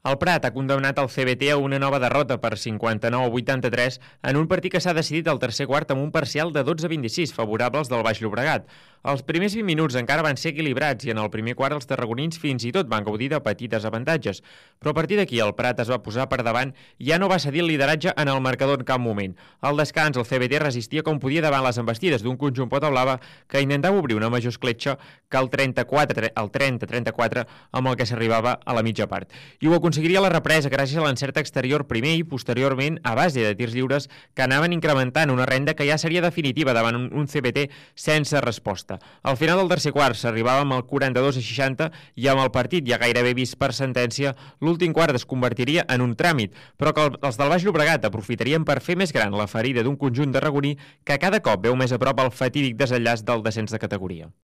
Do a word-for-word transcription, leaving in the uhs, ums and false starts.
El Prat ha condemnat el C B T a una nova derrota per cinquanta-nou a vuitanta-tres en un partit que s'ha decidit al tercer quart amb un parcial de dotze a vint-i-sis favorables del Baix Llobregat. Els primers vint minuts encara van ser equilibrats i en el primer quart els tarragonins fins i tot van gaudir de petites avantatges. Però a partir d'aquí el Prat es va posar per davant i ja no va cedir el lideratge en el marcador en cap moment. Al descans el C B T resistia com podia davant les embestides d'un conjunt pota blava que intentava obrir una major escletxa que el trenta-quatre al trenta a trenta-quatre amb el que s'arribava a la mitja part. I ho aconseguiria la represa gràcies a l'encert exterior primer i posteriorment a base de tirs lliures que anaven incrementant una renda que ja seria definitiva davant un, un C B T sense resposta. Al final del tercer quart s'arribava amb el quaranta-dos a seixanta i amb el partit ja gairebé vist per sentència, l'últim quart es convertiria en un tràmit, però que els del Baix Llobregat aprofitarien per fer més gran la ferida d'un conjunt tarragoní que cada cop veu més a prop el fatídic desenllaç del descens de categoria.